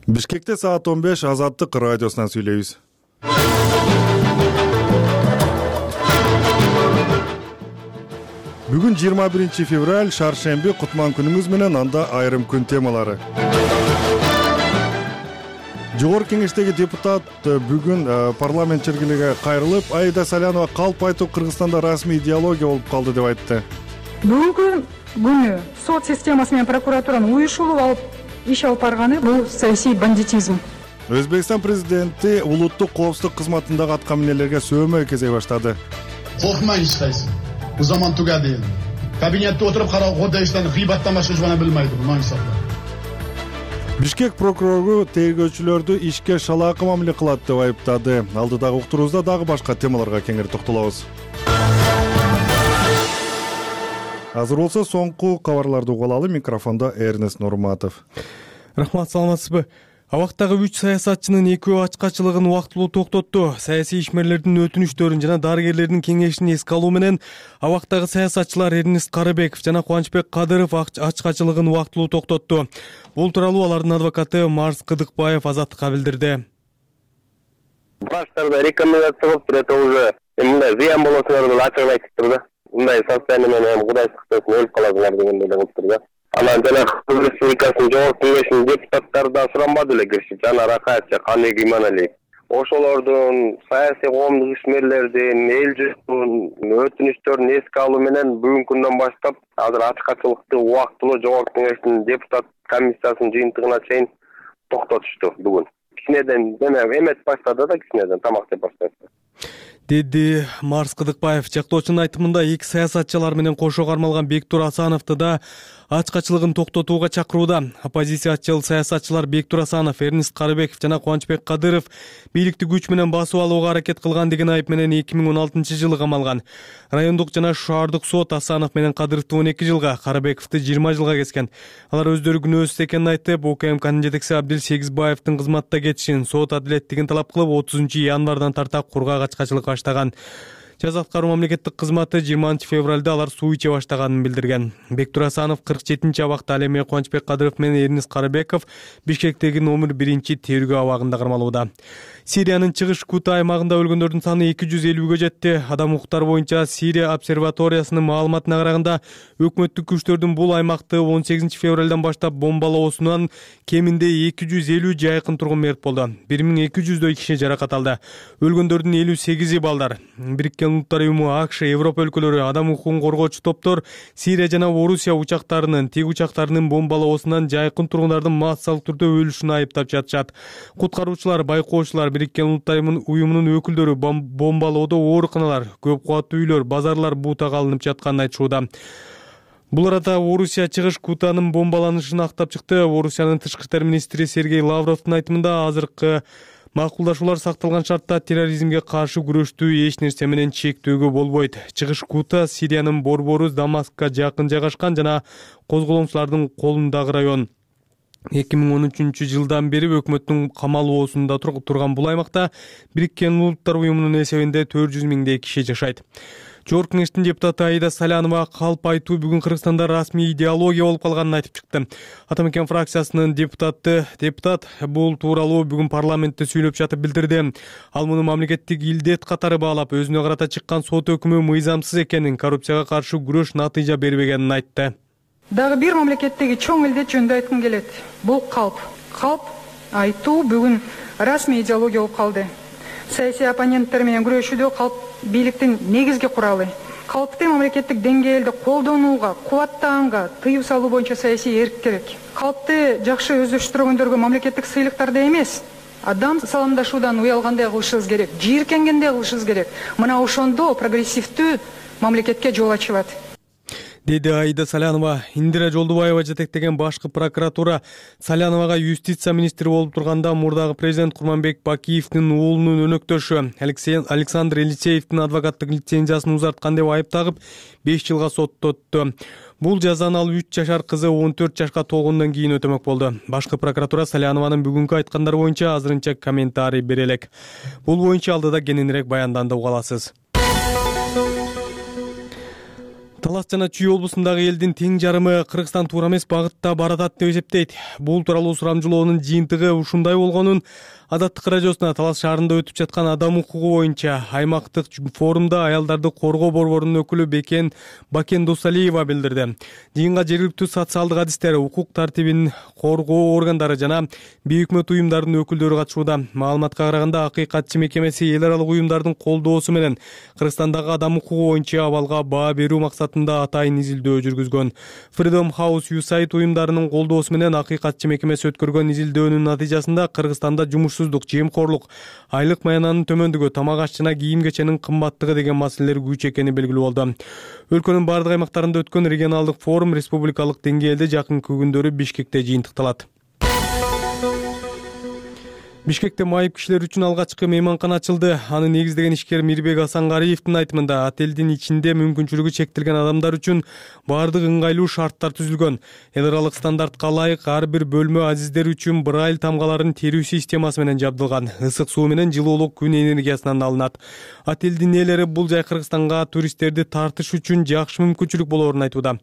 Бишкекте саат 15 Азаттык радиосунан сүйлөйбүз. Бүгүн 21 февраль, шаршемби, кутман күнүңүз менен, анда айрым күн темалары. Жогорку Кеңештеги депутат бүгүн парламент чергилиге кайрылып, Аида Салянова калп айтуу Кыргызстанда расмий идеология болуп калды деп айтты. Бүгүнкү күнү сот системасы менен прокуратуранын уюшулуп алып иш алып барганы бул саясий бандитизм. Өзбекстан президенти улуттук коопсуздук кызматындагы аткаминерлерге сөөмө кезей баштады. Коркмай эч кайсы. Bu zaman tugadi. Kabinette oturup Kodayış'tan gıybattan başka hiç bana bilmeydi bu manisaplar. Бишкек прокурору тергөөчүлөрдү ишке шалаакы мамиле кылат деп айыптады. Алдыдагы уктуруубузда дагы башка темаларга кеңири токтолобуз. Азыр болсо соңку кабарларды угуп алалы. Микрофондо Эрнест Нурматов. Рахмат, саламатсызбы? Абактагы 3 саясатчынын экөө ачкачылыгын убактылуу токтотту. Саясий ишмерлердин өтүнүчтөрүн жана дарыгерлердин кеңешин эске алуу менен абактагы саясатчылар Эрнест Карыбеков жана Кубанычбек Кадыров ачкачылыгын убактылуу токтотту. Бул тууралуу алардын адвокаты Марс Кыдыкбаев Азаттыкка билдирди. Баштарда рекомендация болуп туруп, это уже мындай зыян болосуңар деп ачык айтып турду. Мындай состояние менен Кудай сактасын өлүп каласыңар дегендей болуп турду. Анан жана Кыргыз Республикасынын Жогорку Кеңешинин депутаттары да суранбады эле киришип, Жана Ракаевич, Каныбек Иманалиев. Ошолордун саясий коомдук ишмерлердин, эл журттун өтүнүчтөрүн эске алуу менен бүгүнкү күндөн баштап азыр ачкачылыкты убактылуу Жогорку Кеңештин депутат комиссиясынын жыйынтыгына чейин токтотушту бүгүн. Кичинеден эметип баштады да, кичинеден тамак жеп баштады. Деди Марс Кыдыкбаев. Жактоочунун айтымында эки саясатчылар менен кошо кармалган Бектур Асановду да ачкачылыгын токтотууга чакырууда. Оппозициячыл саясатчылар Бектур Асанов, Эрнест Карыбеков жана Кубанычбек Кадыров бийликти күч менен басып алууга аракет кылган деген айып менен 2016-жылы камалган. Райондук жана шаардык сот Асанов менен Кадыровду 12 жылга, Карыбековду 20 жылга kesкен. Алар өздөрү күнөөсүз экенин айтып, УКМКнын жетекчиси Абдил Сегизбаевдин кызматта кетишин, сот адилеттигин талап кылып 30 январдан тарта кургак ачкачылык баштаган. Жаза аткаруу мамлекеттик кызматы 20 февралда алар суу иче баштаганын билдирген. Бектур Асанов 47-чи абакта, ал эми Кубанычбек Кадыров менен Эрнест Карыбеков Бишкектеги номер 1-чи тергөө абагында кармалууда. Сириянын чыгыш Кута аймагында өлгөндөрдүн саны 250-гө жетти. Адам укуктары боюнча Сирия обсерваториясынын маалыматына караганда, өкмөттүк күчтөрдүн бул аймакты 18 февралдан баштап бомбалоосунан кеминде 250 жайкын тургун мерт болду. 1200дөй киши жаракат алды. Өлгөндөрдүн 58-и балдар. Бириккен Улуттар Уюму, АКШ, Европа өлкөлөрү, адам укугун коргоочу топтор Сирия жана Орусия учактарынын, тиг учактарынын бомбалоосунан жайкын тургундардын массалык түрдө өлүшүн айыптап жатышат. Куткаруучулар, байкоочулар, Бириккен Улуттар Уюмунун өкүлдөрү бомбалоодо ооруканалар, көп кубаттуу үйлөр, базарлар бутага алынып жатканын айтышууда. Бул арада Орусия чыгыш Кутанын бомбаланышын актап чыкты. Орусиянын тышкы иштер министри Сергей Лавровдун айтымында, азыркы макулдашуулар сакталган шартта терроризмге каршы күрөштү эч нерсе менен чектөөгө болбойт. Чыгыш Кута Сириянын Борборус Дамаскка жакын жайгашкан жана козголоңчулардын колундагы район. 2013-жылдан бери өкмөттүн камалоосунда турган бул аймакта Бириккен Улуттар Уюмунун эсебинде 400 миңдей киши жашайт. Жогорку Кеңештин депутаты Аида Салянова калп айтуу бүгүн Кыргызстанда расмий идеология болуп калганын айтып чыкты. Атамекен фракциясынын депутат бул тууралуу бүгүн парламентте сүйлөп жатып билдирди. Ал муну мамлекеттик илдет катары баалап, өзүнө карата чыккан сот өкүмү мыйзамсыз экенин, коррупцияга каршы күрөш натыйжа бербегенин айтты. Дагы бир мамлекеттеги чоң илдет жөнүндө айткым келет. Бул калп айтуу бүгүн расмий идеология болуп калды. Саясий оппоненттер менен күрөшүүдө калп бийликтин негизги куралы. Калпты мамлекеттик деңгээлде колдонууга, кубаттаганга тыюу салуу боюнча саясий эрк керек. Калпты жакшы өздөштүргөндөргө мамлекеттик сыйлыктарды эмес, адам саламдашуудан уялгандай кылышыбыз керек, жийиркенгендей кылышыбыз керек. Мына ошондо прогрессивдүү мамлекетке жол ачылат. Деди Аида Салянова. Индира Жолдубаева жетектеген башкы прокуратура Саляновага юстиция министри болуп турганда мурдагы президент Курманбек Бакиевдин уулунун өнөктөшү Александр Елисеевдин адвокаттык лицензиясын узарткан деп айып тагып 5 жылга соттотту. Бул жазаны ал 3 жашар кызы 14 жашка толгондон кийин өтөмөк болду. Башкы прокуратура Салянованын бүгүнкү айткандары боюнча азырынча комментарий бере элек. Бул боюнча алдыда кененирээк баянданды уга аласыз. Талас жана Чүй облусундагы элдин тең жарымы Кыргызстан туура эмес багытта баратат деп эсептейт. Бул тууралуу сурамжылоонун жыйынтыгы ушундай болгонун Азаттык радиосуна Талас шаарында өтүп жаткан адам укугу боюнча аймактык форумда аялдарды коргоо борборунун өкүлү Бакен Досалиева билдирди. Жыйынга жергиликтүү социалдык адистер, укук тартибин коргоо органдары жана бейөкмөт уюмдарынын өкүлдөрү катышууда. Маалыматка караганда Акыйкатчы мекемеси эл аралык уюмдардын колдоосу менен Кыргызстандагы адам укугу боюнча абалга баа берүү максатында атайын изилдөө жүргүзгөн. Freedom House USAID уюмдарынын колдоосу менен Акыйкатчы мекемеси өткөргөн изилдөөнүн натыйжасында Кыргызстанда жемкорлук, айлык маянанын төмөндүгү, тамак аш жана кийим кеченин кымбаттыгы деген маселелер күч экени белгилүү болду. Өлкөнүн бардык аймактарында өткөн регионалдык форум республикалык деңгээлде жакынкы күндөрү Бишкекте жыйынтыкталат. Бишкекте майып кишилер үчүн алгачкы мейманкана ачылды. Аны негиздеген ишкер Мирбек Асангариевдин айтымында отелдин ичинде мүмкүнчүлүгү чектелген адамдар үчүн баардык ыңгайлуу шарттар түзүлгөн. Эл аралык стандартка ылайык ар бир бөлмө азиздер үчүн Брайль тамгаларын терүү системасы менен жабдылган. Ысык суу менен жылуулук күн энергиясынан алынат. Отелдин ээлери бул жай Кыргызстанга туристтерди тартыш үчүн жакшы мүмкүнчүлүк болоорун айтууда.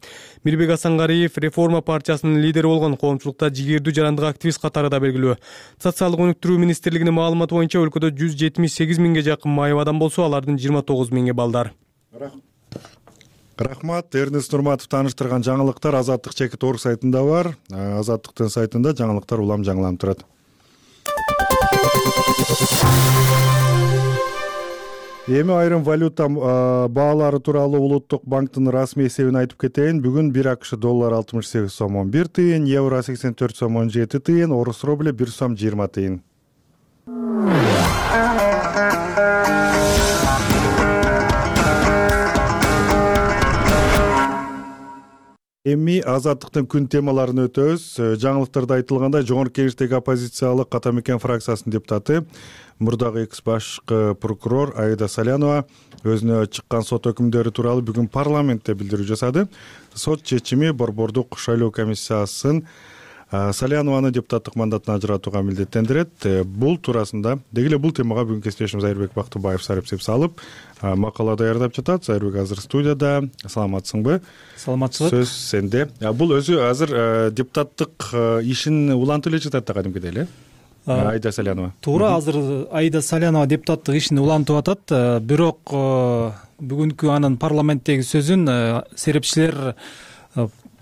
Мирбек Асангариев Реформа партиясынын лидери болгон коомчулукта жигердүү жарандык активист катарында белгилүү. Социалдык өнүктүрүү министрлигинин маалыматы боюнча өлкөдө 178 миңге жакын майып адам болсо, алардын 29 миңи балдар. Рахмат. Эрнест Нурматов тааныштырган жаңылыктар Азаттык чекит.org сайтында бар. Азаттыктын сайтында жаңылыктар улам жаңыланып турат. Эми айрым валюта баалары тууралуу Улуттук банктын расмий эсебин айтып кетейин. Бүгүн 1 АКШ доллар 68 сом 11 тыйын, евро 84 сом 17 тыйын, орус рубль 1 сом 20 тыйын. Эми Азаттыктын күн темаларын өтөбүз. Жаңылыктарда айтылгандай, Жогорку Кеңештеги оппозициялык Атамекен фракциясынын депутаты, мурдагы экс башкы прокурор Аида Салянова өзүнө чыккан сот өкүмдөрү тууралуу бүгүн парламентте билдирүү жасады. Сот чечими борбордук шайлоо комиссиясын Салянованы депутаттык мандатынан ажыратууга милдеттендирет. Бул туурасында деги эле бул темага бүгүн кесиптешим Зайырбек Бактыбаев сарыпсеп салып макала даярдап жатат. Зайырбек азыр студияда. Саламатсыңбы? Саламатчылык. Сөз сенде. Бул өзү азыр депутаттык ишин улантып эле жатат да кадимкидей эле. Аида Салянова. Туура, азыр Аида Салянова депутаттык ишин улантып атат. Бирок бүгүнкү анын парламенттеги сөзүн серепчилер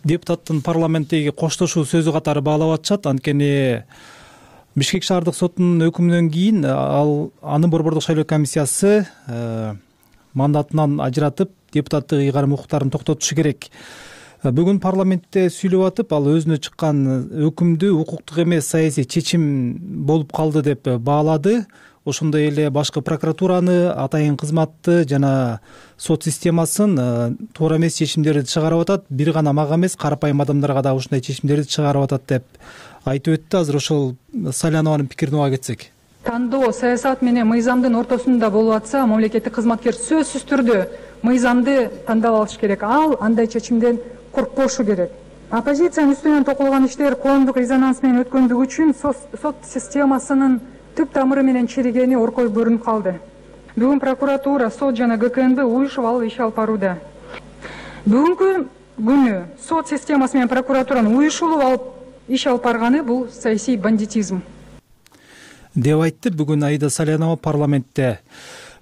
депутаттын парламенттеги коштошуу сөзү катары баалап атышат. Анткени Бишкек шаардык сотунун өкүмүнөн кийин аны борбордук шайлоо комиссиясы мандатынан ажыратып, депутаттык ыйгарым укуктарын токтотушу керек. Бүгүн парламентте сүйлөп атып, ал өзүнө чыккан өкүмдү укуктук эмес саясий чечим болуп калды деп баалады. Ошондой эле башкы прокуратураны, атайын кызматты жана сот системасын туура эмес чечимдерди чыгарып атат. Бир гана мага эмес, карапайым адамдарга да ушундай чечимдерди чыгарып атат деп айтып өттү. Азыр ошол Салянованын пикирин уга кетсек. Тандоо саясат менен мыйзамдын ортосунда болуп атса, мамлекеттик кызматкер сөзсүз түрдө мыйзамды тандап алыш керек. Ал андай чечимден коркпошу керек. Оппозициянын үстүнөн токулган иштер коомдук резонанс менен өткөндүгү үчүн сот системасынын түп тамыры менен чиригени оркой көрүнүп калды. Бүгүн прокуратура, сот жана ГКНБ уюшуп алып иш алып барууда. Бүгүнкү күнү сот системасы менен прокуратуранын уюшулуп алып иш алып барганы бул саясий бандитизм деп айтты бүгүн Аида Салянова парламентте.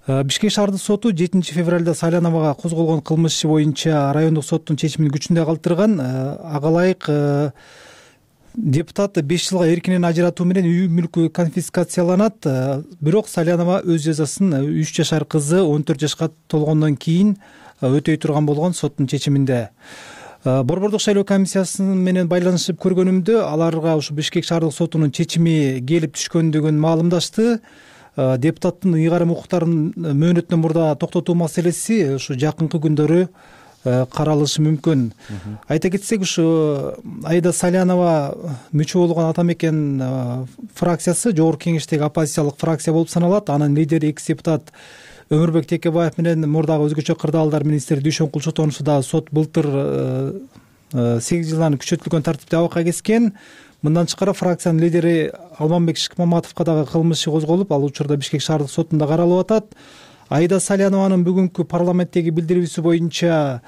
Бишкек шаардык соту 7 февралда Саляновага козголгон кылмыш иши боюнча райондук соттун чечимин күчүндө калтырган. Ага ылайык депутат 5 жылга эркинен ажыратуу менен үй мүлкү конфискацияланат. Бирок Салянова өз жазасын 3 жашар кызы 14 жашка толгондон кийин өтөй турган болгон соттун чечиминде. Борбордук шайлоо комиссиясы менен байланышып көргөнүмдө аларга ушу Бишкек шаардык сотунун чечими келип түшкөндүгүн маалымдашты. Депутаттын ыйгарым укуктарын мөөнөттөн мурда токтотуу маселеси ушу жакынкы күндөрү каралышы мүмкүн. Айта кетсек, ушу Аида Салянова мүчө болгон Атамекен фракциясы Жогорку Кеңештеги оппозициялык фракция болуп саналат. Анын лидери экс депутат Өмүрбек Текебаев менен мурдагы өзгөчө кырдаалдар министри Дүйшөнкул Чотонушу да сот былтыр 8 жылдан күчөтүлгөн тартипте абакка кескен. Мындан тышкары фракциянын лидери Алмамбек Шыкмаматовго дагы кылмыш иши козголуп, ал учурда Бишкек шаардык сотунда каралып атат. Аида Салянованын бүгүнкү парламенттеги билдирүүсү боюнча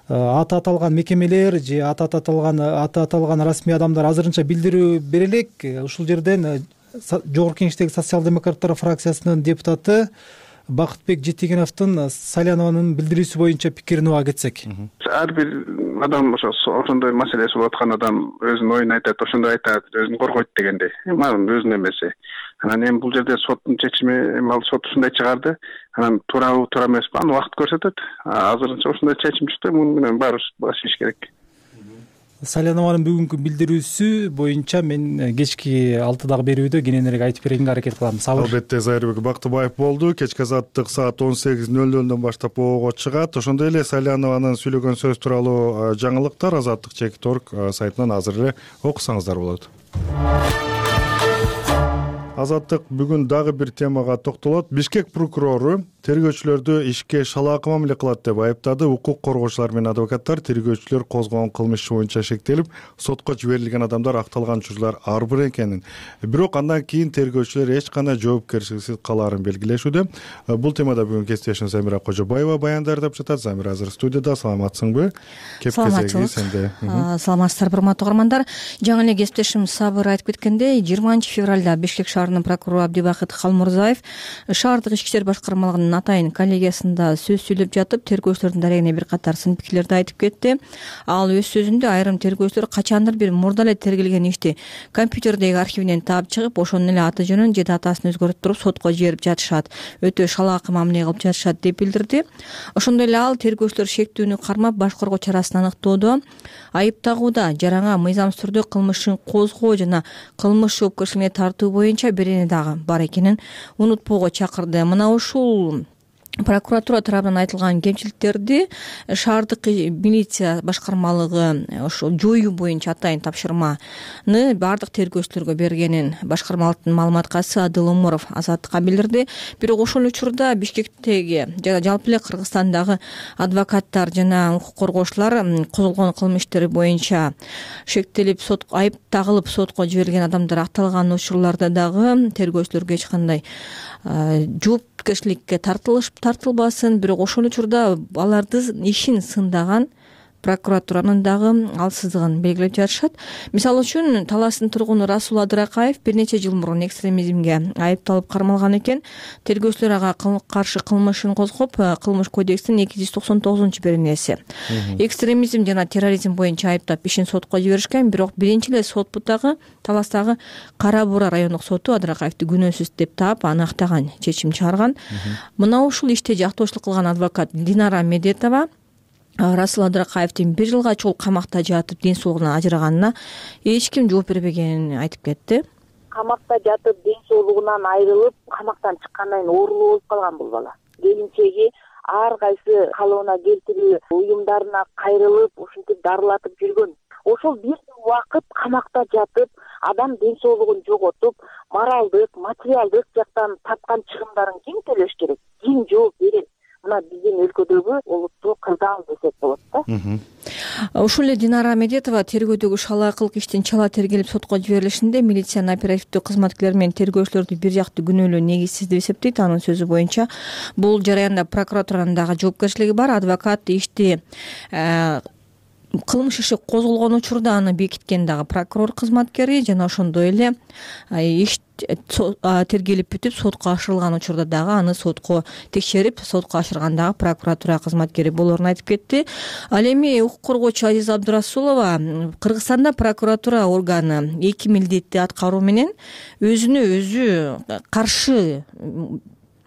аты аталган мекемелер же аты аталган расмий адамдар азырынча билдирүү бере элек. Ушул жерден Жогорку Кеңештеги социал-демократтар фракциясынын депутаты Бакытбек Жетегеновдун Салянованын билдирүүсү боюнча пикирин уга кетсек. Ар бир адам ошондой маселеси болуп аткан адам өзүнүн оюн айтат, ошондой айтат, өзүн коргойт дегендей. Анан өзүнүн эмеси. Анан эми бул жерде соттун чечими, ал сот ушундай чыгарды. Анан туурабы, туура эмеспи, аны убакыт көрсөтөт. Азырынча ушундай чечим чыкты, муну менен баарыбыз баш ийиш керек. Салянованын бүгүнкү билдирүүсү боюнча мен кечки 6-дагы берүүдө кененирээк айтып беренге аракет кылам. Албетте, Зайырбек Бактыбаев болду. Кечки азаттык саат 18:00 баштап ого чыгат. Ошондой эле Салянованын сүйлөгөн сөз тууралуу жаңылыктар Азаттык.org сайтынан азыр эле окусаңыздар болот. Азаттык бүгүн дагы бир темага токтолот. Бишкек прокурору тергөөчүлөрдү ишке шалаакы мамиле кылат деп айыптады. Укук коргоочулар менен адвокаттар тергөөчүлөр козгогон кылмыш иши боюнча шектелип, сотко жиберилген адамдар акталган учурлар ар бир экенин, бирок андан кийин тергөөчүлөр эч кандай жоопкерчиликсиз калаарын белгилешүүдө. Бул темада бүгүн кесиптешим Замира Кожобаева баяндап жатат. Замира азыр студияда. Саламатсыңбы? Кеп-кезеги сенде. Саламатсыздарбы, урматтуу угармандар. Жаңы эле кесиптешим Сабыр айтып кеткендей, 20 февралда Бишкек шаарынын прокурору Абдибакыт Халмурзаев шаардык ички иштер башкармалыгынын атайын коллегиясында сөз сүйлөп жатып, тергөөчүлөрдүн дарегине бир катар сын пикирлерди айтып кетти. Ал өз сөзүндө айрым тергөөчүлөр качандыр бир мурда эле тергелген ишти компьютердеги архивинен таап чыгып, ошонун эле аты жөнүн же датасын өзгөртүп сотко жиберип жатышат, өтө шалаакы мамиле кылып жатышат деп билдирди. Ошондой эле ал тергөөчүлөр шектүүнү кармап баш коргоо чарасын аныктоодо айыптагууда жараңа мыйзамсыз түрдө кылмышын козгоо жана кылмыш жоопкерчилигине тартуу боюнча берени дагы бар экенин унутпоого чакырды. Мына ушул прокуратура тарабынан айтылган кемчиликтерди шаардык милиция башкармалыгы ошо жоюу боюнча атайын тапшырманы баардык тергөөчүлөргө бергенин башкармалыктын маалыматкачысы Адыл Умуров Азаттыкка билдирди. Бирок ошол учурда Бишкектеги жана жалпы эле Кыргызстандагы адвокаттар жана укук коргоочулар козголгон кылмыш иштери боюнча шектелип айып тагылып сотко жиберилген адамдар акталган учурларда дагы тергөөчүлөргө эч кандай жоопкерчиликке тартылбасын, бирок ошол учурда алардын ишин сындаган прокуратуранын дагы алсыздыгын белгилеп жатышат. Мисалы үчүн Таластын тургуну Расул Адыракаев бир нече жыл мурун экстремизмге айыпталып кармалган экен. Тергөөчүлөр ага каршы кылмышын козгоп, кылмыш кодекстин 290-беренеси экстремизм жана терроризм боюнча айыптап ишин сотко жиберишкен, бирок биринчи эле сот бутагы Таластагы Кара Буура райондук соту Адыракаевди күнөөсүз деп таап аны актаган, чечим чыгарган. Мына ушул иште жактоочулук кылган адвокат Динара Медетова Расул Адыракаевдин 1 жылга чогуу камакта жатып ден соолугунан ажыраганына эч ким жооп бербегенин айтып кетти. Камакта жатып ден соолугунан айрылып, камактан чыккандан кийин оорулуу болуп калган бул бала. Келинчеги ар кайсы калыбына келтирүү уюмдарына кайрылып, ушинтип дарылатып жүргөн. Ошол бир убакыт камакта жатып, адам ден соолугун жоготуп, моралдык, материалдык жактан тапкан чыгымдарын ким төлөш керек? Ким жооп берет? Мына биздин өлкөдөгү олуттуу кырдаал десек болот да. Ушул эле Динара Медетова тергөөдөгү шалаакылык иштин чала тергелип сотко жиберилишинде милициянын оперативдүү кызматкерлери менен тергөөчүлөрдү бир жактуу күнөөлөө негизсиз деп эсептейт. Анын сөзү боюнча бул жараянда прокуратуранын дагы жоопкерчилиги бар. Адвокат ишти кылмыш иши козголгон учурда аны бекиткен дагы прокурор кызматкери жана ошондой эле иш тергелип бүтүп сотко ашырылган учурда дагы аны сотко текшерип сотко ашырган дагы прокуратура кызматкери болоорун айтып кетти. Ал эми укук коргоочу Азиза Абдурасулова Кыргызстанда прокуратура органы эки милдетти аткаруу менен өзүнө өзү каршы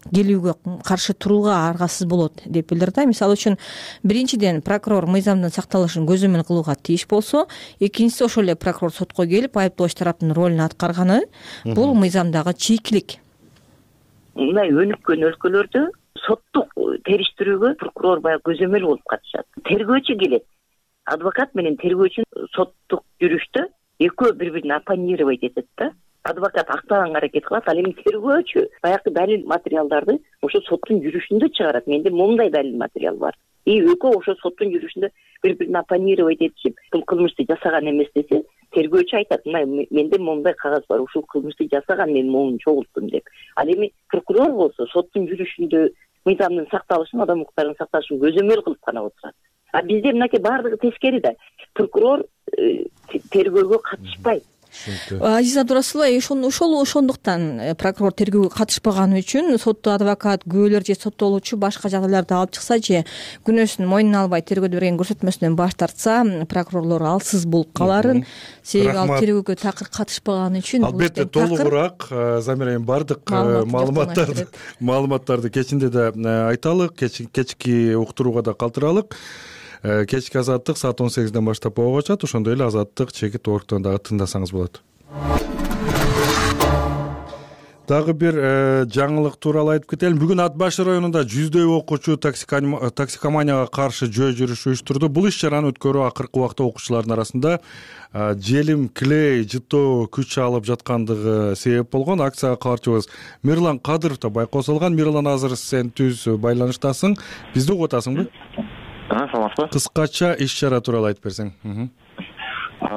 келүүгө, каршы турууга аргасыз болот деп билдирди. Мисалы үчүн биринчиден прокурор мыйзамдын сакталышын көзөмөл кылууга тийиш болсо, экинчиси ошол эле прокурор сотко келип айыптооч тараптын ролун аткарганы бул мыйзамдагы чийкилик. Мындай өнүккөн өлкөлөрдө соттук териштирүүгө прокурор баягы көзөмөл болуп катышат. Тергөөчү келет. Адвокат менен тергөөчү соттук жүрүштө экөө бири-бирин оппонировать этет да. Адвокат актаганга аракет кылат, ал эми тергөөчү баягы далил материалдарды ошо соттун жүрүшүндө чыгарат. Менде моундай далил материал бар. Экөө ошо соттун жүрүшүндө бири-бирин оппонировать этишип, бул кылмышты жасаган эмес десе, тергөөчү айтат, менде моундай кагаз бар, ушул кылмышты жасаган, мен моуну чогулттум деп. Ал эми прокурор болсо соттун жүрүшүндө мыйзамдын сакталышын, адам укуктарынын сакталышын көзөмөл кылып гана отурат. А бизде мынакей баардыгы тескери да. Прокурор тергөөгө катышпайт. Азиза Абдурасулова, ошондуктан прокурор тергөөгө катышпаганы үчүн сотто адвокат, күбөлөр же соттолуучу башка жагдайларды алып чыкса же күнөөсүн мойнуна албай тергөөдө берген көрсөтмөсүнөн баш тартса, прокурорлор алсыз болуп каларын, себеби ал тергөөгө такыр катышпаганы үчүн. Албетте толугураак Замира эми бардык маалыматтарды кечинде да айталык, кечки уктурууга да калтыралык. Кечки азаттык саат 18ден баштап болго чат. Ошондой эле азаттык чекит оргтон дагы тыңдасаңыз болот. Дагы бир жаңылык тууралуу айтып кетелим. Бүгүн Ат башы районунда 100дөй окуучу токсикоманияга каршы жөө жүрүш уюштурду. Бул иш-чараны өткөрүү акыркы убакта окуучулардын арасында желим, клей жыттоо күч алып жаткандыгы себеп болгон. Акцияга кабарчыбыз Мирлан Кадыров да байкоо салган. Мирлан, азыр сен түз байланыштасың. Бизди угуп атасыңбы? Саламатсызбы? Кыскача иш-чара тууралуу айтып берсең.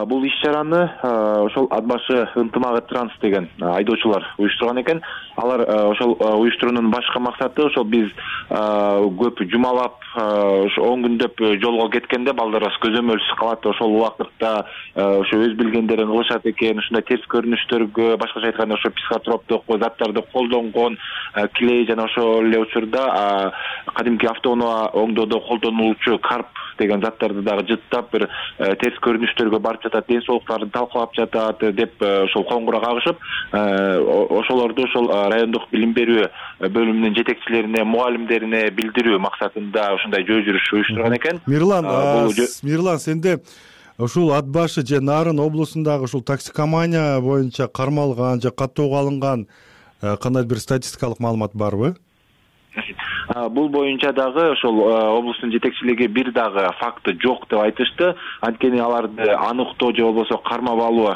Бул иш-чараны ошол Ат башы ынтымагы транс деген айдоочулар уюштурган экен. Алар ошол уюштуруунун башкы максаты ошол биз көп жумалап, 10 күндөп жолго кеткенде балдарыбыз көзөмөлсүз калат. Ошол убакытта ошо өз билгендерин кылышат экен. Ушундай терс көрүнүштөргө, башкача айтканда ошо психотроптук заттарды колдонгон, клей жана ошол эле учурда кадимки автоунаа оңдоодо колдонулуучу карп деген заттарды дагы жыттап, бир терс көрүнүштөргө барып жатат, ден соолуктарын талкалап жатат деп ошол коңгуроо кагышып, ошолорду ошол райондук билим берүү бөлүмүнүн жетекчилерине, мугалимдерине билдирүү максатында ушундай жөө жүрүш уюштурган экен. Мирлан, сенде ушул Ат башы же Нарын облусундагы ушул токсикомания боюнча кармалган же каттоого алынган кандай бир статистикалык маалымат барбы? Бул боюнча дагы ошол облустун жетекчилиги бир дагы факты жок деп айтышты. Анткени аларды аныктоо же болбосо кармап алуу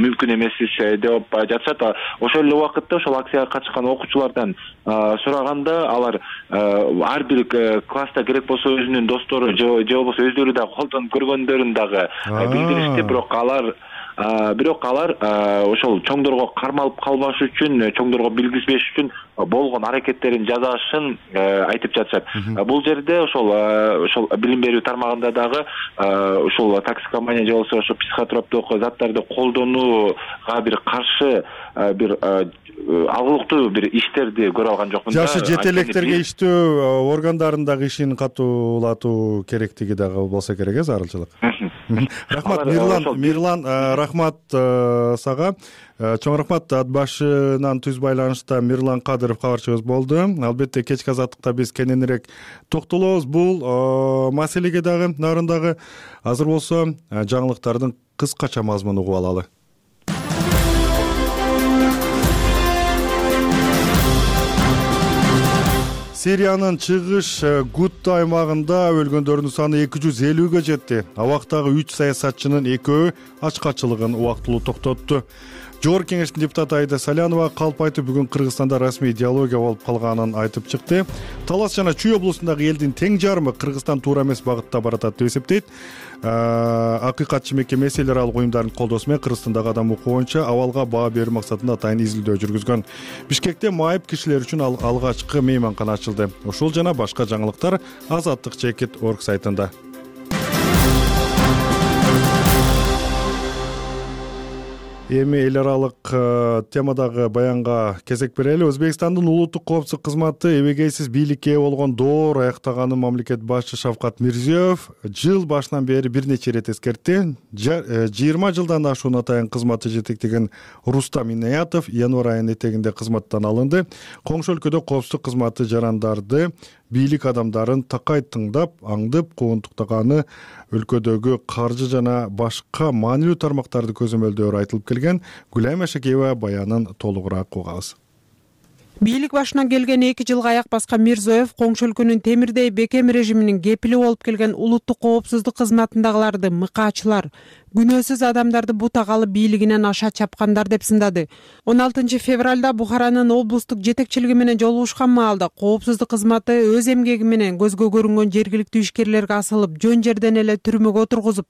мүмкүн эмес деп жатышат. Ошол эле убакытта ошол акцияга катышкан окуучулардан сураганда, алар ар бир класста керек болсо өзүнүн достору же болбосо өздөрү дагы колдонуп көргөндөрүн дагы билдиришти. Бирок алар ошол чоңдорго кармалып калбаш үчүн, чоңдорго билгизбеш үчүн болгон аракеттерин жасашын айтып жатышат. Бул жерде ошол билим берүү тармагында дагы ошол токсикомания же болбосо ошо психотроптук заттарды колдонууга бир каршы бир алгылыктуу бир иштерди көрө алган жокмун. Жашы жетелектерге иштөө органдарындагы ишин катуулатуу керектиги дагы болсо керек, зарылчылык. Рахмат Мирлан, рахмат сага. Чоң рахмат. Ат башынан түз байланышта Мирлан Кадыров кабарчыбыз болду. Албетте кечки азаттыкта биз кененирээк токтолобуз бул маселеге дагы, нарындагы. Азыр болсо жаңылыктардын кыскача мазмунун угуп алалы. Сириянын чыгыш Гутта аймагында өлгөндөрдүн саны 250ге жетти. Абактагы 3 саясатчынын 2-өө ачкачылыгын убактылуу токтотту. Жогорку кеңештин депутаты Айда Салянова калп айтып, бүгүн Кыргызстанда расмий идеология болуп калганын айтып чыкты. Талас жана Чүй облусундагы элдин тең жарымы Кыргызстан туура эмес багытта баратат деп эсептейт. Акыйкатчы мекеме эле аралык уюмдардын колдоосу менен Кыргызстандагы адам укугу боюнча абалга баа берүү максатында атайын изилдөө жүргүзгөн. Бишкекте майып кишилер үчүн алгачкы мейманкана ачылды. Ушул жана башка жаңылыктар Азаттык чекит орг сайтында. Эми эл аралык темадагы баянга кезек берели. Өзбекстандын улуттук коопсуздук кызматы эбегейсиз бийликке ээ болгон доор аяктаганын мамлекет башчы Шавкат Мирзиёев жыл башынан бери бир нече ирет эскертти. 20 жылдан ашуун атайын кызматты жетектеген Рустам Инаятов январь айынын этегинде кызматтан алынды. Коңшу өлкөдө коопсуздук кызматы жарандарды, бийлик адамдарын такай тыңдап, аңдып, куугунтуктаганы өлкөдөгү каржы жана башка маанилүү тармактарды көзөмөлдөөрү айтылып келген. Гүлайым Ашакеева баянын толугураак угабыз. Бийлик башына келген 2 жылга аяк баскан Мирзиёев коңшу өлкөнүн темирдей бекем режиминин кепили болуп келген улуттук коопсуздук кызматындагыларды мыкаачылар, күнөөсүз адамдарды бутагалы бийлигинен аша чапкандар деп сындады. 16 февралда Бухаранын облустук жетекчилиги менен жолугушкан маалда коопсуздук кызматы өз эмгеги менен көзгө көрүнгөн жергиликтүү ишкерлерге асылып, жөн жерден эле түрмөгө отургузуп,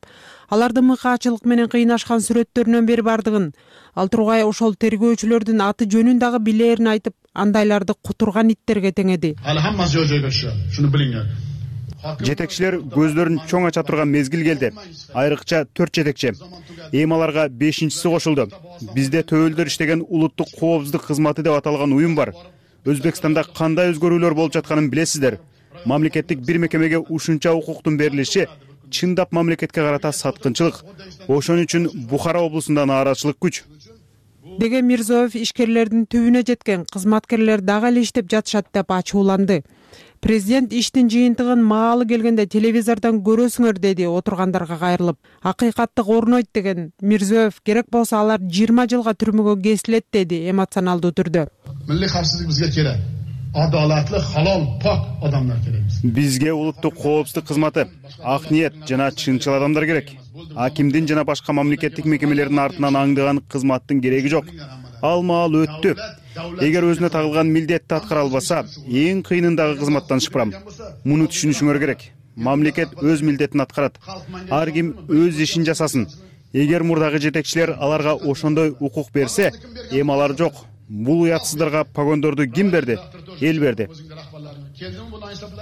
аларды мыкаачылык менен кыйнашкан сүрөттөрүнөн бери бардыгын, ал тургай ошол тергөөчүлөрдүн аты жөнүн дагы билээрин айтып, андайларды кутурган иттерге теңеди. Ал хаммасы жөө-жөйгө түшөт. Шуну билиңер. Жетекчилер көздөрүн чоң ача турган мезгил келди. Айрыкча 4 жетекчи. Эми аларга 5-чиси кошулду. Бизде Төбөлдөр иштеген улуттук коопсуздук кызматы деп аталган уюм бар. Өзбекстанда кандай өзгөрүүлөр болуп жатканын билесиздер. Мамлекеттик бир мекемеге ушунча укуктун берилиши чындап мамлекетке карата саткынчылык. Ошон үчүн Бухара облусунда нааразычылык күч. Деген Мирзоев ишкерлердин түбүнө жеткен кызматкерлер дагы эле иштеп жатышат деп ачууланды. Президент иштин жыйынтыгын маалы келгенде телевизордон көрөсүңөр деди отургандарга кайрылып. Акыйкаттык орнойт деген Мирзоев керек болсо алар 20 жылга түрмөгө кесилет деди эмоционалдуу түрдө. Milliy xavfsizlik bizga kerak. Adolatli, halol, pok odamlar kerak. Бизге улуттук коопсуздук кызматы, ак ниет жана чынчыл адамдар керек. Акимдин жана башка мамлекеттик мекемелердин артынан аңдыган кызматтын кереги жок. Ал маал өттү. Эгер өзүнө тагылган милдетти аткара албаса, эң кыйынындагы кызматтан шыпырам. Муну түшүнүшүңөр керек. Мамлекет өз милдетин аткарат. Ар ким өз ишин жасасын. Эгер мурдагы жетекчилер аларга ошондой укук берсе, эми алар жок. Бул уятсыздарга погондорду ким берди? Эл берди.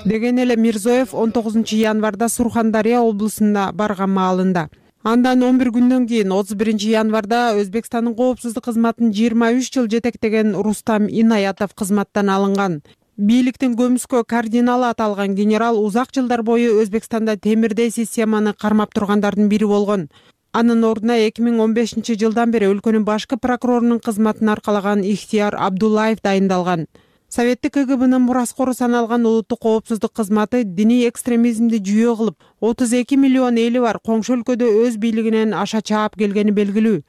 Деген эле Мирзоев 19 январда Сурхандария облусуна барган маалында. Андан 11 күндөн кийин 31 январда Өзбекстандын коопсуздук кызматын 23 жыл жетектеген Рустам Инаятов кызматтан алынган. Бийликтин көмүскө кардиналы аталган генерал узак жылдар бою Өзбекстанда темирдей системаны кармап тургандардын бири болгон. Анын ордуна 2015 жылдан бери өлкөнүн башкы прокурорунун кызматын аркалаган Ихтияр Абдуллаев дайындалган. Советтик КГБнын мураскору саналган улуттук коопсуздук кызматы диний экстремизмди жүйө кылып, 32 миллион эли бар коңшу өлкөдө өз бийлигинен аша чаап келгени белгилүү.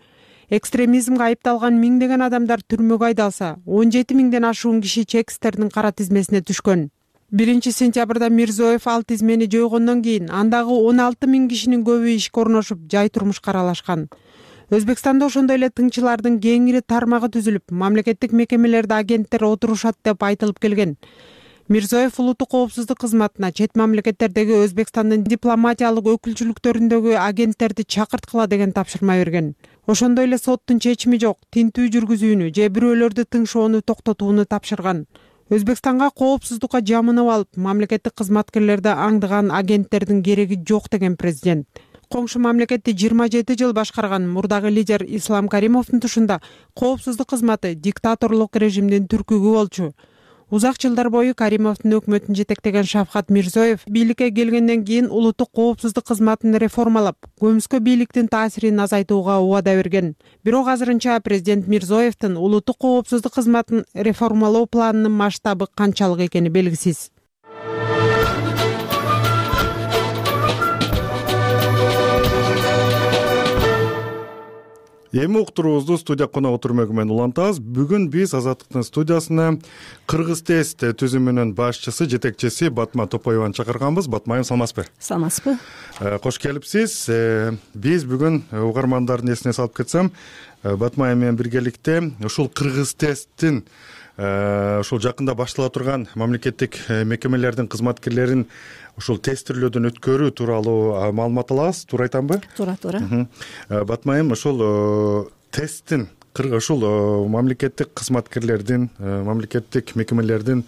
Экстремизмге айыпталган миңдеген адамдар түрмөгө айдалса, 17 миңден ашуун киши чекистердин кара тизмесине түшкөн. 1 сентябрда Мирзоев ал тизмени жойгондон кийин андагы 16 миң кишинин көбү ишке орношуп, жай турмушка аралашкан. Өзбекстанда ошондой эле тыңчылардын кеңири тармагы түзүлүп, мамлекеттик мекемелерде агенттер отурушат деп айтылып келген. Мирзоев улуттук коопсуздук кызматына чет мамлекеттердеги Өзбекстандын дипломатиялык өкүлчүлүктөрүндөгү агенттерди чакырткыла деген тапшырма берген. Ошондой эле соттун чечими жок, тинтүү жүргүзүүнү же бирөөлөрдү тыңшоону токтотууну тапшырган. Өзбекстанга коопсуздукка жамынып алып, мамлекеттик кызматкерлерди аңдыган агенттердин кереги жок деген президент. Коңшу мамлекетти 27 жыл башкарган мурдагы лидер Ислам Каримовдун тушунда коопсуздук кызматы диктаторлук режимдин түркүгү болчу. Узак жылдар бою Каримовдун өкмөтүн жетектеген Шавкат Мирзоев бийликке келгенден кийин улуттук коопсуздук кызматын реформалап, көмүскө бийликтин таасирин азайтууга убада берген. Бирок азырынча президент Мирзоевдин улуттук коопсуздук кызматын реформалоо планынын масштабы канчалык экени белгисиз. Эми уктуруубузду студия коногу түрмөгү менен улантабыз. Бүгүн биз Азаттыктын студиясына Кыргыз тест түзүмүнүн башчысы, жетекчиси Батма Топоеваны чакырганбыз. Батма айым, саламатсызбы? Саламатсызбы. Кош келипсиз. Биз бүгүн угармандардын эсине салып кетсем, Батма айым менен биргеликте ушул Кыргыз тесттин ушул жакында баштала турган мамлекеттик мекемелердин кызматкерлерин ушул тестирлөөдөн өткөрүү тууралуу маалымат алабыз. Туура айтамбы? Туура. Батма айым, ушул тесттин ушул мамлекеттик кызматкерлердин, мамлекеттик мекемелердин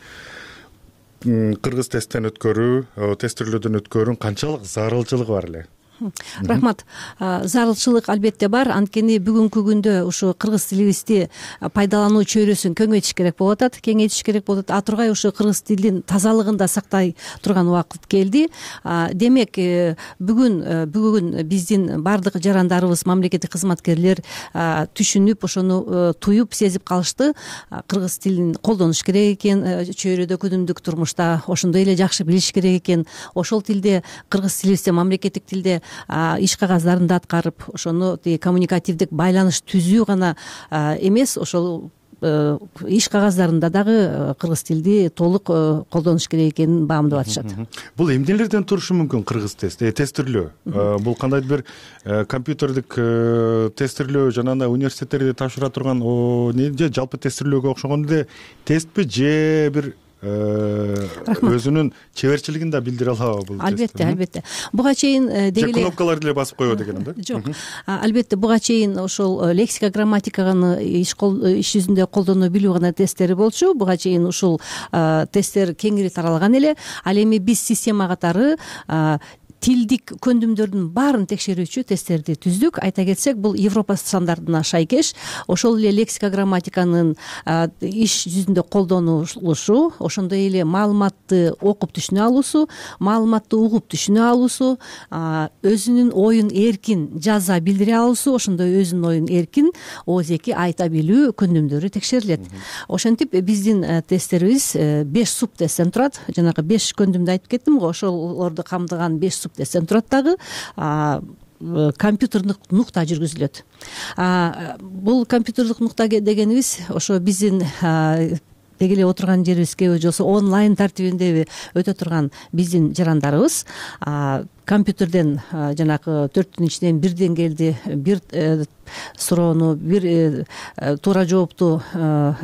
Кыргыз тесттен өткөрүү, тестирлөөдөн өткөрүүнүн канчалык зарылчылыгы бар эле? Рахмат. Зарылчылык албетте бар. Анткени бүгүнкү күндө ушу кыргыз тилибизди пайдалануу чөйрөсүн кеңейтиш керек болуп атат. А тургай ушу кыргыз тилдин тазалыгын да сактай турган убакыт келди. Демек, бүгүн биздин бардык жарандарыбыз, мамлекеттик кызматкерлер түшүнүп, ошону туюп, сезип калышты. Кыргыз тилин колдонуш керек экен, чөйрөдө күнүмдүк турмушта ошондой эле жакшы билиш керек экен. Ошол тилде, кыргыз тилибизде, мамлекеттик тилде иш кагаздарын да аткарып, ошону коммуникативдик байланыш түзүү гана эмес, ошол иш кагаздарында дагы кыргыз тилди толук колдонуш керек экенин баамдап атышат. Бул эмнелерден турушу мүмкүн кыргыз тестирлөө? Бул кандайдыр бир компьютердик тестирлөө, жанагындай университеттерде тапшыра турган же жалпы тестирлөөгө окшогон эле тестпи, же бир өзүнүн чеберчилигин да билдире алабы бул? Албетте буга чейин деги эле кнопкаларды эле басып коебу дегеним да. Жок, албетте буга чейин ошол лексика грамматиканы иш жүзүндө колдоно билүү гана тесттери болчу. Буга чейин ушул тесттер кеңири таралган эле. Ал эми биз система катары тилдик көндүмдөрдүн баарын текшерүүчү тесттерди түздүк. Айта кетсек, бул Европа стандартына шайкеш. Ошол эле лексика грамматиканын иш жүзүндө колдонулушу, ошондой эле маалыматты окуп түшүнө алуусу, маалыматты угуп түшүнө алуусу, өзүнүн оюн эркин жаза билдире алуусу, ошондой өзүнүн оюн эркин ооз-эки айта билүү көндүмдөрү текшерилет. Ошентип биздин тесттерибиз 5 суп тесттен турат. Жанагы 5 көндүмдү айтып кеттим го, ошолорду камтыган 5 тесттен турат дагы. Компьютердик нукта жүргүзүлөт. Бул компьютердик нукта дегенибиз ошо биздин деги эле отурган жерибизге же болбосо онлайн тартибинде өтө турган биздин жарандарыбыз компьютерден жанагы 4-түн ичинен бир деңгээлди бир суроону, бир туура жоопту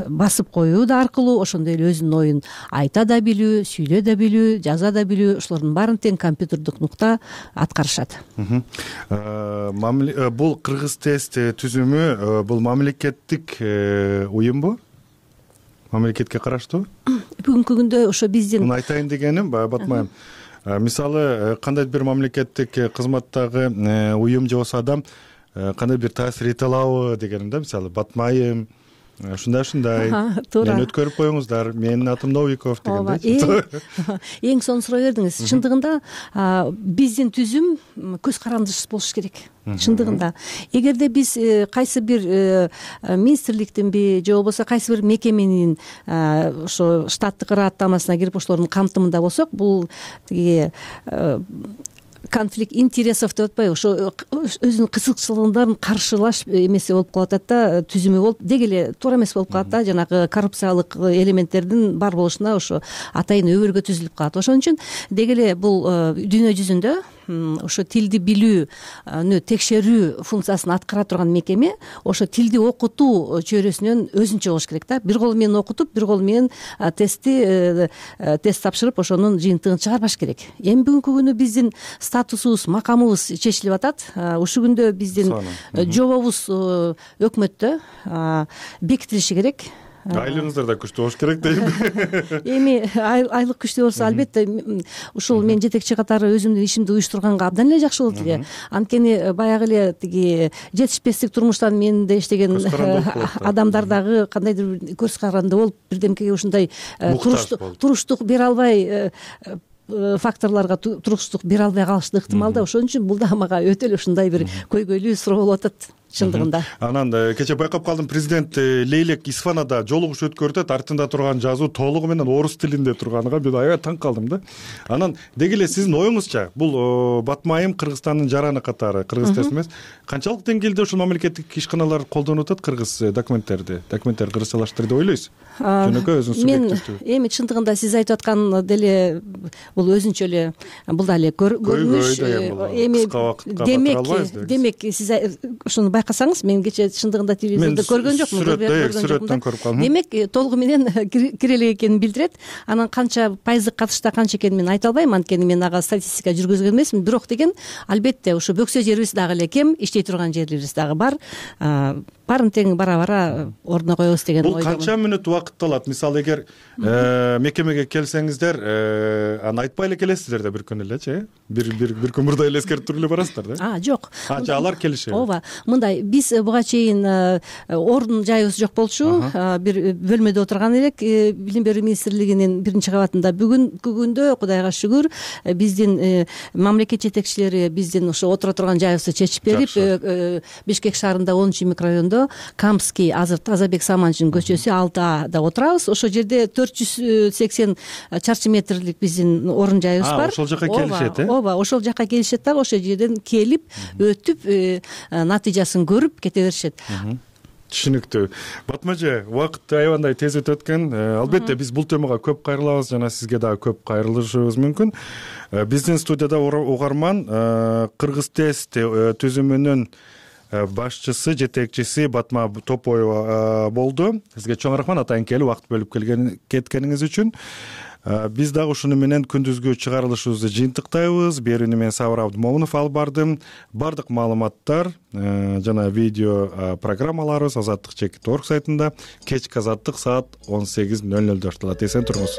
басып коюу аркылуу ошондой эле өзүнүн оюн айта да билүү, сүйлөй да билүү, жаза да билүү, ошолордун баарын тең компьютердик нукта аткарышат. Бул кыргыз тест түзүмү бул мамлекеттик уюмбу? Мамлекетке караштуу? Бүгүнкү күндө ошо биздин муну айтайын дегеним, Батмайым, мисалы кандайдыр бир мамлекеттик кызматтагы уюм же болбосо адам кандай бир таасир эте алабы дегеним да. Мисалы Батмайым ушундай туура. Мени өткөрүп коюңуздар, менин атым Новиков дегендей. Эң сонун суроо бердиңиз. Чындыгында биздин түзүм көз карандысыз болуш керек. Чындыгында эгерде биз кайсы бир министрликтинби же болбосо кайсы бир мекеменин ошо штаттык ыраттамасына кирип ошолордун камтымында болсок, бул тиги конфликт интересов деп атпайбы, ошо өзүнүн кызыкчылыгын каршылаш эмеси болуп калып атат да, түзүмү болуп деги эле туура эмес болуп калат да, жанагы коррупциялык элементтердин бар болушуна ошо атайын өбөлгө түзүлүп калат. Ошон үчүн деги эле бул дүйнө жүзүндө ошо тилди билүүнү текшерүү функциясын аткара турган мекеме ошо тилди окутуу чөйрөсүнөн өзүнчө болуш керек да. Бир колу менен окутуп, бир колу менен тест тапшырып, ошонун жыйынтыгын чыгарбаш керек. Эми бүгүнкү күнү биздин статусубуз, макамыбыз чечилип атат. Ушул күндө биздин жобобуз өкмөттө бекитилиши керек. Айлыгыңыздар да күчтүү болуш керек дейм. Эми айлык күчтүү болсо, албетте ушул мен жетекчи катары өзүмдүн ишимди уюштурганга абдан эле жакшы болот эле. Анткени баягы эле тиги жетишпестик турмуштан менде иштеген адамдар дагы кандайдыр бир көз каранды болуп, бирдемкеге ушундай туруштук бере албай, факторлорго туруштук бере албай калышы ыктымал да. Ошон үчүн бул да мага өтө эле ушундай бир көйгөйлүү суроо болуп атат. Чындыгында. Анан кече байкап калдым, президент Лейлек Исфанада жолугуш өткөрүп атат, артында турган жазуу толугу менен орус тилинде турганына мен аябай таң калдым да. Анан деги эле сиздин оюңузча, бул Батмайым Кыргызстандын жараны катары, кыргыз тест эмес, канчалык деңгээлде ушул мамлекеттик ишканалар колдонуп атат кыргыз документтер кыргызчалаштырды деп ойлойсуз? Жөнөкөй өзүнүн субъективдүү. Мен эми чындыгында сиз айтып аткан деле бул өзүнчө эле бул да эле көрүнүш. Эми демек сиз ушуну байкасаңыз, мен кече чындыгында телевизордо көргөн жокмун. Сүрөттөн көрүп калдым. Демек толугу менен кире элек экенин билдирет. Анан канча пайыздык катышта канча экенин мен айта албайм, анткени мен ага статистика жүргүзгөн эмесмин. Бирок деген албетте ошо бөксө жерибиз дагы эле кем, иштей турган жерлерибиз дагы бар. Баарын тең бара ордуна коебуз деген ойдомун. Бул канча мүнөт убакыт алат? Мисалы эгер мекемеге келсеңиздер, аны айтпай эле келесиздер да бир күн элечи, бир күн мурда эле эскертип туруп эле барасыздар да? Жок. Алар келишет. Ооба. Мындай, биз буга чейин ордун жайыбыз жок болчу. Бир бөлмөдө отурган элек Билим берүү министрлигинин 1-кабатында. Бүгүнкү күндө Кудайга шүгүр, биздин мамлекет жетекчилери биздин ошо отура турган жайыбызды чечип берип, Бишкек шаарында 10-микрорайондо Камский Тазабек Саманжин көчөсү 6А отурабыз. Ошол жерде 480 чарчы метрлик биздин орун жайыбыз бар. Ошол жака келишет, Ооба, ошол жака келишет дагы, ошол жерден келип, өтүп, натыйжасын көрүп кете беришет. Түшүнүктүү. Батмажы, убакыт аябандай тез өтүп өткөн. Албетте биз бул темага көп кайрылабыз, жана сизге дагы көп кайрылышыбыз мүмкүн. Биздин студияда угарман кыргыз тест түзүмүнүн башчысы, жетекчиси Батма Топоева болду. Сизге чоң рахмат атайын келип убакыт бөлүп кеткениңиз үчүн. Биз дагы ушуну менен күндүзгү чыгарылышыбызды жыйынтыктайбыз. Берүүнү мен Сабыр Абдымомунов алып бардым. Бардык маалыматтар жана видео программаларыбыз Азаттык.org сайтында, кечки Азаттык саат 18:00 турат. Эсен туруңуз.